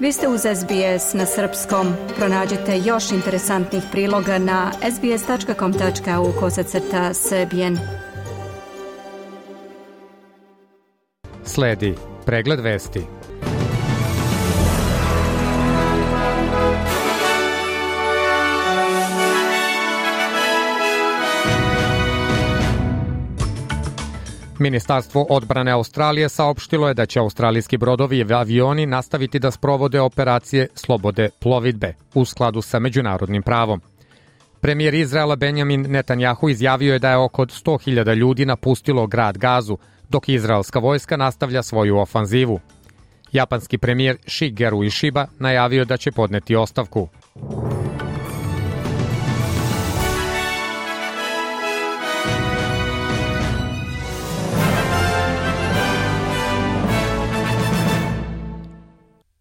Vi ste uz SBS na srpskom. Pronađite još interesantnih priloga na sbs.com.au/srbijen. Sledi pregled vesti. Ministarstvo odbrane Australije saopštilo je da će australijski brodovi i avioni nastaviti da sprovode operacije slobode plovidbe u skladu sa međunarodnim pravom. Premijer Izraela Benjamin Netanjahu izjavio je da je oko 100.000 ljudi napustilo grad Gazu, dok izraelska vojska nastavlja svoju ofanzivu. Japanski premijer Shigeru Ishiba najavio da će podneti ostavku.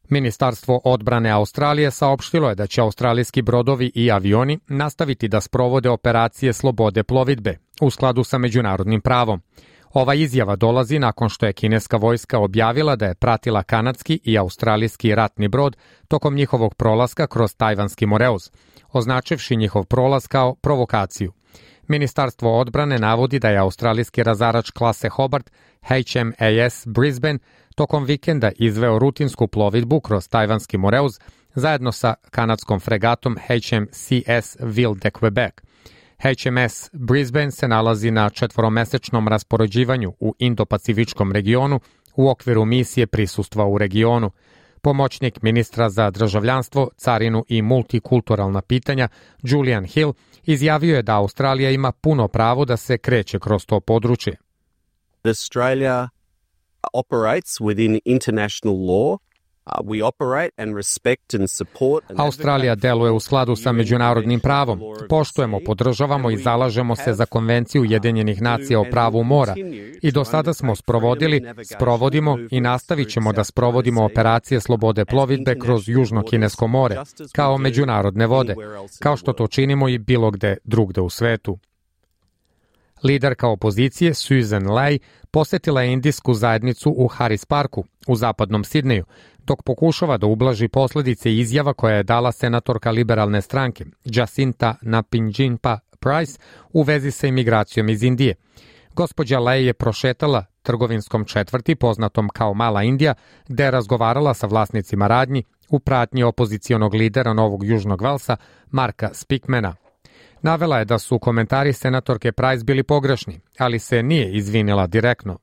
Ministarstvo odbrane Australije saopštilo je da će australijski brodovi i avioni nastaviti da sprovode operacije slobode plovidbe u skladu sa međunarodnim pravom. Ova izjava dolazi nakon što je kineska vojska objavila da je pratila kanadski i australijski ratni brod tokom njihovog prolaska kroz Tajvanski Moreuz, označivši njihov prolaz kao provokaciju. Ministarstvo odbrane navodi da je australijski razarač klase Hobart HMAS Brisbane tokom vikenda izveo rutinsku plovidbu kroz Tajvanski Moreuz zajedno sa kanadskom fregatom HMCS Ville de Quebec. HMS Brisbane se nalazi na 4-mesečnom raspoređivanju u Indo-Pacifičkom regionu u okviru misije prisustva u regionu. Pomoćnik ministra za državljanstvo, carinu i multikulturalna pitanja Julian Hill izjavio je da Australija ima puno pravo da se kreće kroz to područje. Australia operates within international law. We operate and respect and support. Australija deluje u skladu sa međunarodnim pravom. Poštujemo, podržavamo i zalažemo se za Konvenciju Ujedinjenih nacija o pravu mora. I do sada smo sprovodimo i nastavit ćemo da sprovodimo operacije slobode plovidbe kroz Južno Kinesko more, kao međunarodne vode, kao što to činimo i bilo gde drugde u svetu. Liderka opozicije Susan Ley posetila je indijsku zajednicu u Harris Parku u zapadnom Sidneju, dok pokušava da ublaži posljedice izjava koja je dala senatorka liberalne stranke Jacinta Napinjinpa Price u vezi sa imigracijom iz Indije. Gospođa Ley je prošetala trgovinskom četvrti poznatom kao Mala Indija, gde je razgovarala sa vlasnicima radnji u pratnji opozicionog lidera Novog Južnog Velsa Marka Speakmana. Navela je da su komentari senatorke Price bili pogrešni, ali se nije izvinila direktno.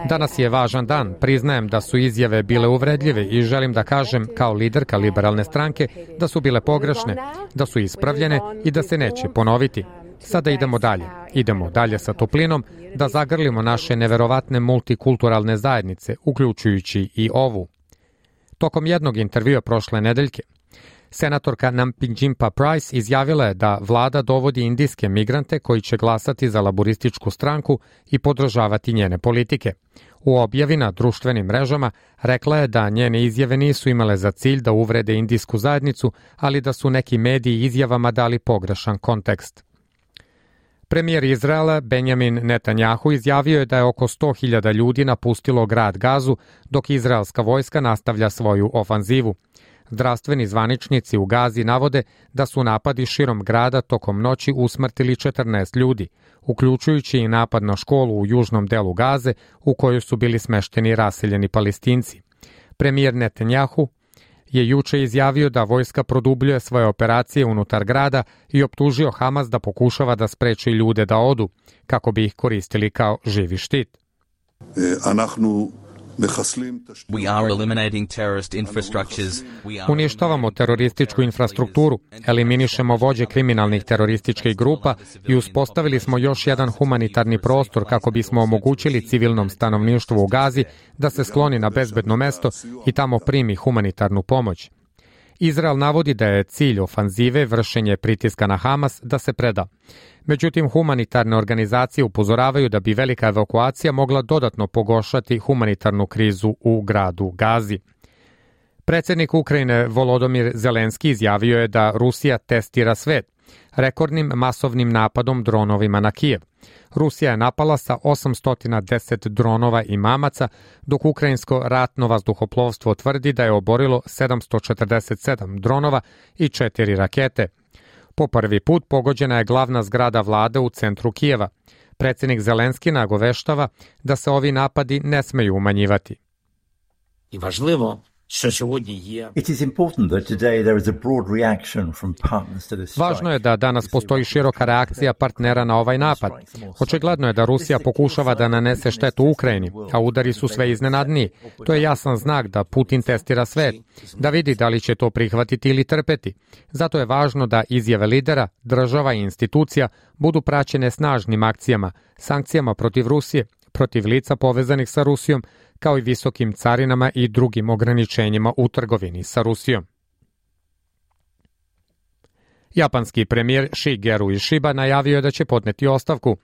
Danas je važan dan. Priznajem da su izjave bile uvredljive i želim da kažem kao liderka liberalne stranke da su bile pogrešne, da su ispravljene i da se neće ponoviti. Sada idemo dalje. Idemo dalje sa toplinom da zagrlimo naše neverovatne multikulturalne zajednice, uključujući i ovu. Tokom jednog intervjua prošle nedeljke, senatorka Napinjinpa Price izjavila je da vlada dovodi indijske migrante koji će glasati za laborističku stranku i podržavati njene politike. U objavi na društvenim mrežama rekla je da njene izjave nisu imale za cilj da uvrede indijsku zajednicu, ali da su neki mediji izjavama dali pogrešan kontekst. Premijer Izraela Benjamin Netanjahu izjavio je da je oko 100.000 ljudi napustilo grad Gazu, dok izraelska vojska nastavlja svoju ofanzivu. Zdravstveni zvaničnici u Gazi navode da su napadi širom grada tokom noći usmrtili 14 ljudi, uključujući i napad na školu u južnom delu Gaze u kojoj su bili smešteni raseljeni Palestinci. Premijer Netanjahu je juče izjavio da vojska produbljuje svoje operacije unutar grada i optužio Hamas da pokušava da spreči ljude da odu, kako bi ih koristili kao živi štit. Uništavamo terorističku infrastrukturu, eliminišemo vođe kriminalnih terorističkih grupa i uspostavili smo još jedan humanitarni prostor kako bismo omogućili civilnom stanovništvu u Gazi da se skloni na bezbedno mesto i tamo primi humanitarnu pomoć. Izrael navodi da je cilj ofanzive vršenje pritiska na Hamas da se preda. Međutim, humanitarne organizacije upozoravaju da bi velika evakuacija mogla dodatno pogoršati humanitarnu krizu u gradu Gazi. Predsjednik Ukrajine Volodymyr Zelenski izjavio je da Rusija testira svet rekordnim masovnim napadom dronovima na Kijev. Rusija je napala sa 810 dronova i mamaca, dok ukrajinsko ratno vazduhoplovstvo tvrdi da je oborilo 747 dronova i 4 rakete. Po prvi put pogođena je glavna zgrada vlade u centru Kijeva. Predsjednik Zelenski nagoveštava da se ovi napadi ne smeju umanjivati. I važlivo Važno je da danas postoji široka reakcija partnera na ovaj napad. Očigledno je da Rusija pokušava da nanese štetu Ukrajini, a udari su sve iznenadniji. To je jasan znak da Putin testira svet, da vidi da li će to prihvatiti ili trpeti. Zato je važno da izjave lidera, država i institucija budu praćene snažnim akcijama, sankcijama protiv Rusije, protiv lica povezanih sa Rusijom, kao i visokim carinama i drugim ograničenjima u trgovini sa Rusijom. Japanski premijer Shigeru Ishiba najavio je da će podneti ostavku.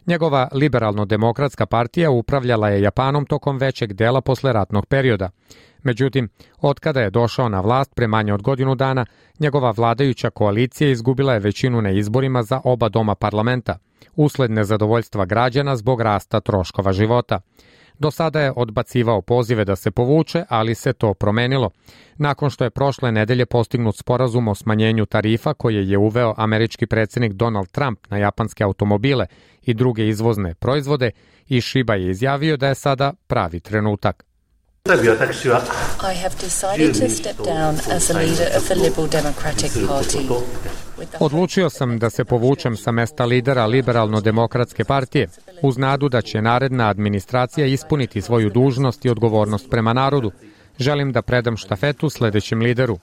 Njegova liberalno-demokratska partija upravljala je Japanom tokom većeg dela posleratnog perioda. Međutim, otkada je došao na vlast pre manje od godinu dana, njegova vladajuća koalicija izgubila je većinu na izborima za oba doma parlamenta, usled nezadovoljstva građana zbog rasta troškova života. Do sada je odbacivao pozive da se povuče, ali se to promenilo. Nakon što je prošle nedelje postignut sporazum o smanjenju tarifa koje je uveo američki predsjednik Donald Trump na japanske automobile i druge izvozne proizvode, Ishiba je izjavio da je sada pravi trenutak. I have decided to step down as a leader of the Liberal Democratic Party. Odlučio sam da se povučem sa mesta lidera Liberalno-demokratske partije, uz nadu da će naredna administracija ispuniti svoju dužnost i odgovornost prema narodu. Želim da predam štafetu sledećem lideru.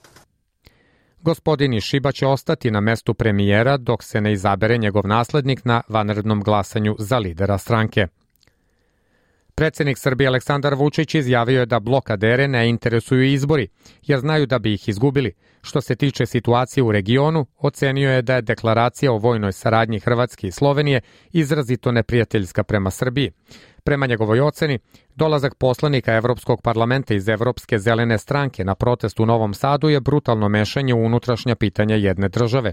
Gospodin Ishiba će ostati na mestu premijera dok se ne izabere njegov naslednik na vanrednom glasanju za lidera stranke. Predsjednik Srbije Aleksandar Vučić izjavio je da blokadere ne interesuju izbori, jer znaju da bi ih izgubili. Što se tiče situacije u regionu, ocenio je da je deklaracija o vojnoj saradnji Hrvatske i Slovenije izrazito neprijateljska prema Srbiji. Prema njegovoj oceni, dolazak poslanika Evropskog parlamenta iz Evropske zelene stranke na protest u Novom Sadu je brutalno mešanje u unutrašnja pitanja jedne države.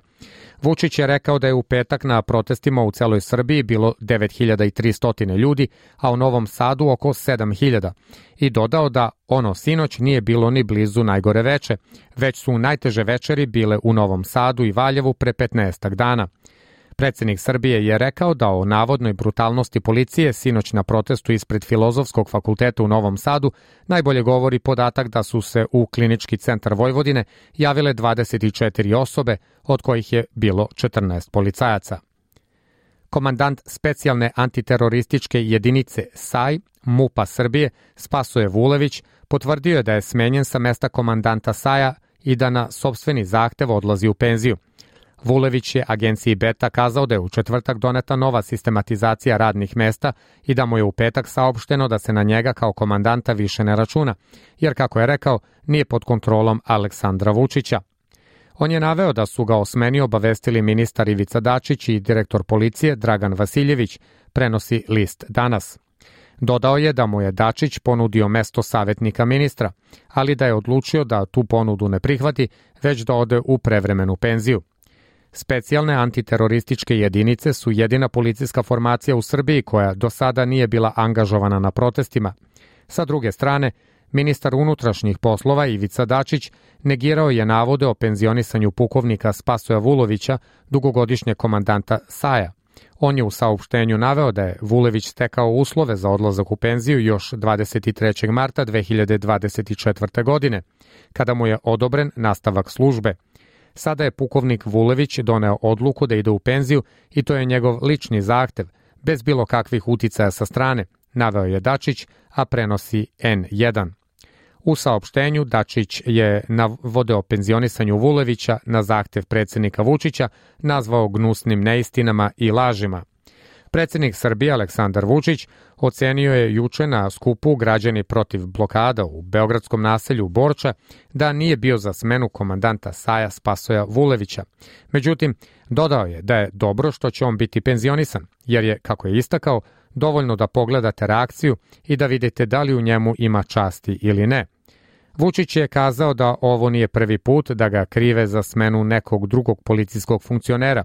Vučić je rekao da je u petak na protestima u celoj Srbiji bilo 9300 ljudi, a u Novom Sadu oko 7000. I dodao da ono sinoć nije bilo ni blizu najgore veče, već su najteže večeri bile u Novom Sadu i Valjevu pre 15 dana. Predsjednik Srbije je rekao da o navodnoj brutalnosti policije sinoć na protestu ispred Filozofskog fakulteta u Novom Sadu najbolje govori podatak da su se u Klinički centar Vojvodine javile 24 osobe, od kojih je bilo 14 policajaca. Komandant specijalne antiterorističke jedinice SAI, MUP-a Srbije, Spasoje Vulević, potvrdio je da je smenjen sa mesta komandanta SAI-a i da na sopstveni zahtev odlazi u penziju. Vulević je agenciji Beta kazao da je u četvrtak doneta nova sistematizacija radnih mesta i da mu je u petak saopšteno da se na njega kao komandanta više ne računa, jer kako je rekao, nije pod kontrolom Aleksandra Vučića. On je naveo da su ga o smeni obavestili ministar Ivica Dačić i direktor policije Dragan Vasiljević, prenosi list Danas. Dodao je da mu je Dačić ponudio mesto savjetnika ministra, ali da je odlučio da tu ponudu ne prihvati, već da ode u prevremenu penziju. Specijalne antiterorističke jedinice su jedina policijska formacija u Srbiji koja do sada nije bila angažovana na protestima. Sa druge strane, ministar unutrašnjih poslova Ivica Dačić negirao je navode o penzionisanju pukovnika Spasoja Vulovića, dugogodišnjeg komandanta SAI-a. On je u saopštenju naveo da je Vulević stekao uslove za odlazak u penziju još 23. marta 2024. godine, kada mu je odobren nastavak službe. Sada je pukovnik Vulević doneo odluku da ide u penziju i to je njegov lični zahtev, bez bilo kakvih uticaja sa strane, naveo je Dačić, a prenosi N1. U saopštenju Dačić je navode o penzionisanju Vulevića na zahtev predsjednika Vučića nazvao gnusnim neistinama i lažima. Predsjednik Srbije Aleksandar Vučić ocenio je juče na skupu Građani protiv blokada u beogradskom naselju Borča da nije bio za smenu komandanta SAI-a Spasoja Vulevića. Međutim, dodao je da je dobro što će on biti penzionisan, jer je, kako je istakao, dovoljno da pogledate reakciju i da vidite da li u njemu ima časti ili ne. Vučić je kazao da ovo nije prvi put da ga krive za smenu nekog drugog policijskog funkcionera,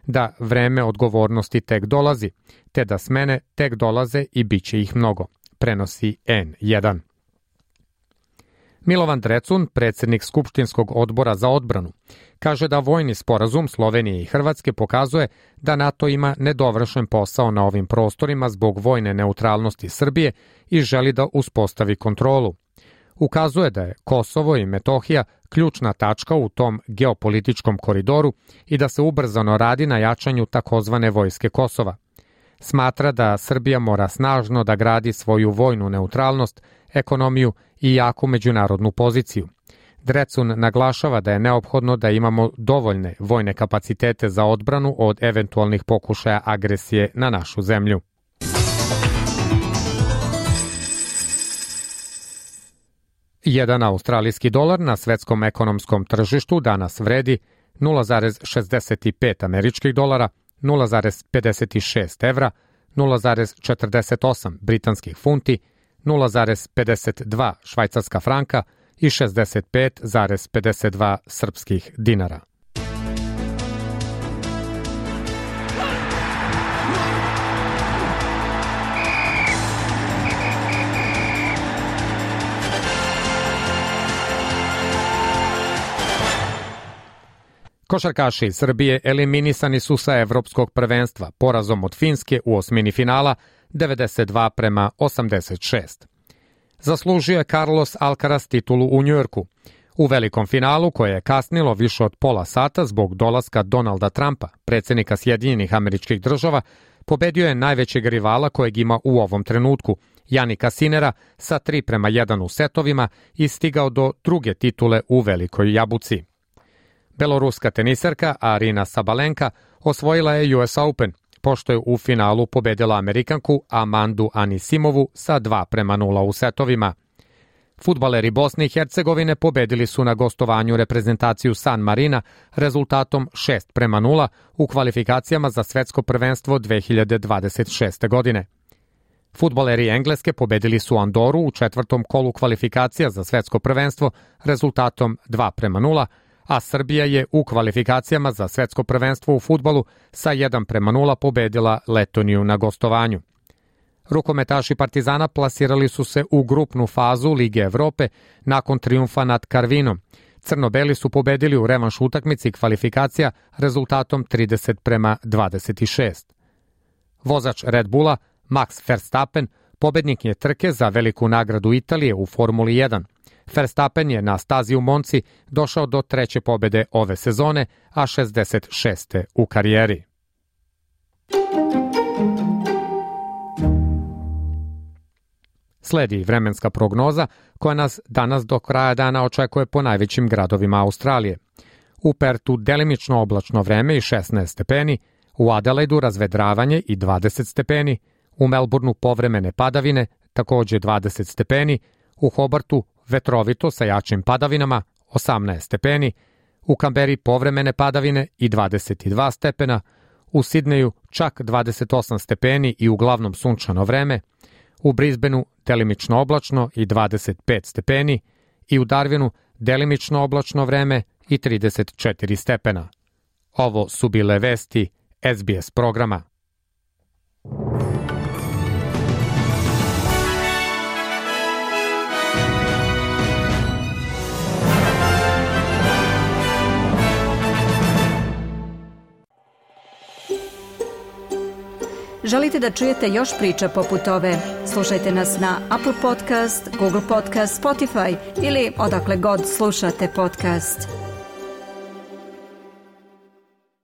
da vreme odgovornosti tek dolazi, te da smene tek dolaze i bit će ih mnogo, prenosi N1. Milovan Drecun, predsjednik Skupštinskog odbora za odbranu, kaže da vojni sporazum Slovenije i Hrvatske pokazuje da NATO ima nedovršen posao na ovim prostorima zbog vojne neutralnosti Srbije i želi da uspostavi kontrolu. Ukazuje da je Kosovo i Metohija ključna tačka u tom geopolitičkom koridoru i da se ubrzano radi na jačanju takozvane vojske Kosova. Smatra da Srbija mora snažno da gradi svoju vojnu neutralnost, ekonomiju i jaku međunarodnu poziciju. Drecun naglašava da je neophodno da imamo dovoljne vojne kapacitete za odbranu od eventualnih pokušaja agresije na našu zemlju. Jedan australijski dolar na svetskom ekonomskom tržištu danas vredi 0,65 američkih dolara, 0,56 evra, 0,48 britanskih funti, 0,52 švajcarska franka i 65,52 srpskih dinara. Košarkaši iz Srbije eliminisani su sa evropskog prvenstva porazom od Finske u osmini finala 92-86. Zaslužio je Carlos Alcaraz titulu u Njujorku. U velikom finalu, koje je kasnilo više od pola sata zbog dolaska Donalda Trumpa, predsjednika Sjedinjenih Američkih Država, pobedio je najvećeg rivala kojeg ima u ovom trenutku, Janika Sinera, sa 3:1 u setovima i stigao do druge titule u Velikoj Jabuci. Beloruska teniserka Arina Sabalenka osvojila je US Open, pošto je u finalu pobedila Amerikanku Amandu Anisimovu sa 2:0 u setovima. Fudbaleri Bosne i Hercegovine pobedili su na gostovanju reprezentaciju San Marina rezultatom 6:0 u kvalifikacijama za svetsko prvenstvo 2026. godine. Fudbaleri Engleske pobedili su Andoru u četvrtom kolu kvalifikacija za svetsko prvenstvo rezultatom 2:0, a Srbija je u kvalifikacijama za svetsko prvenstvo u fudbalu sa 1:0 pobedila Letoniju na gostovanju. Rukometaši Partizana plasirali su se u grupnu fazu Lige Evrope nakon trijumfa nad Karvinom. Crno-beli su pobedili u revanš utakmici kvalifikacija rezultatom 30:26. Vozač Red Bulla Max Verstappen pobednik je trke za veliku nagradu Italije u Formuli 1. Verstappen je na stazi u Monci došao do treće pobede ove sezone, a 66. u karijeri. Sledi vremenska prognoza koja nas danas do kraja dana očekuje po najvećim gradovima Australije. U Pertu delimično oblačno vreme i 16 stepeni, u Adelaidu razvedravanje i 20 stepeni, u Melbourneu povremene padavine, takođe 20 stepeni, u Hobartu vetrovito sa jačim padavinama, 18 stepeni, u Kamberi povremene padavine i 22 stepena, u Sidneju čak 28 stepeni i uglavnom sunčano vreme, u Brisbaneu delimično oblačno i 25 stepeni i u Darwinu delimično oblačno vreme i 34 stepena. Ovo su bile vesti SBS programa. Želite da čujete još priča poput ove? Slušajte nas na Apple Podcast, Google Podcast, Spotify ili odakle god slušate podcast.